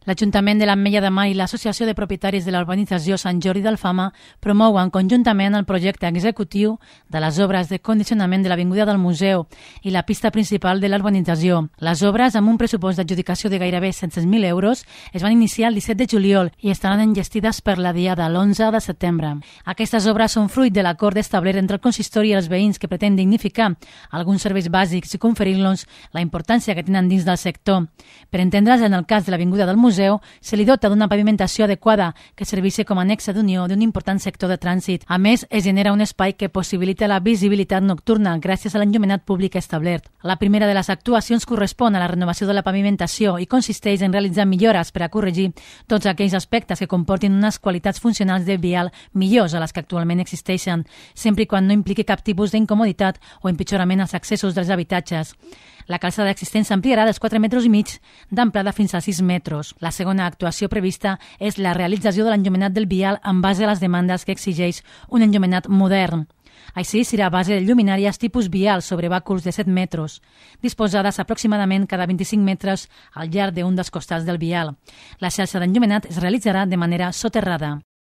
L'Ajuntament de l'Ametlla de Mar i l'Associació de Propietaris de la Urbanització Sant Jordi d'Alfama promouen conjuntament el projecte executiu de les obres de condicionament de l'Avinguda del Museu i la pista principal de l'urbanització. Les obres, amb un pressupost d'adjudicació de gairebé 700.000 euros, es van iniciar el 17 de juliol i estaran enllestides per la diada l'11 de setembre. Aquestes obres són fruit de l'acord establert entre el consistori i els veïns que pretén dignificar alguns serveis bàsics i conferir-los la importància que tenen dins del sector. Per entendre's, en el cas de l'Avinguda del Museu, se li dota d'una pavimentació adequada que serveixi com a nexe d'unió d'un important sector de trànsit. A més, es genera un espai que possibilita la visibilitat nocturna gràcies a l'enllumenat públic establert. La primera de les actuacions correspon a la renovació de la pavimentació i consisteix en realitzar millores per a corregir tots aquells aspectes que comportin unes qualitats funcionals de vial millors a les que actualment existeixen, sempre i quan no impliqui cap tipus d'incomoditat o empitjorament als accessos dels habitatges. La calçada existent s'ampliarà dels 4,5 metres d'amplada fins a 6 metres. La segona actuació prevista és la realització de l'enllumenat del vial en base a les demandes que exigeix un enllumenat modern. Així, serà a base de lluminàries tipus vial sobre bàculs de 7 metres, disposades aproximadament cada 25 metres al llarg d'un dels costats del vial. La xarxa d'enllumenat es realitzarà de manera soterrada.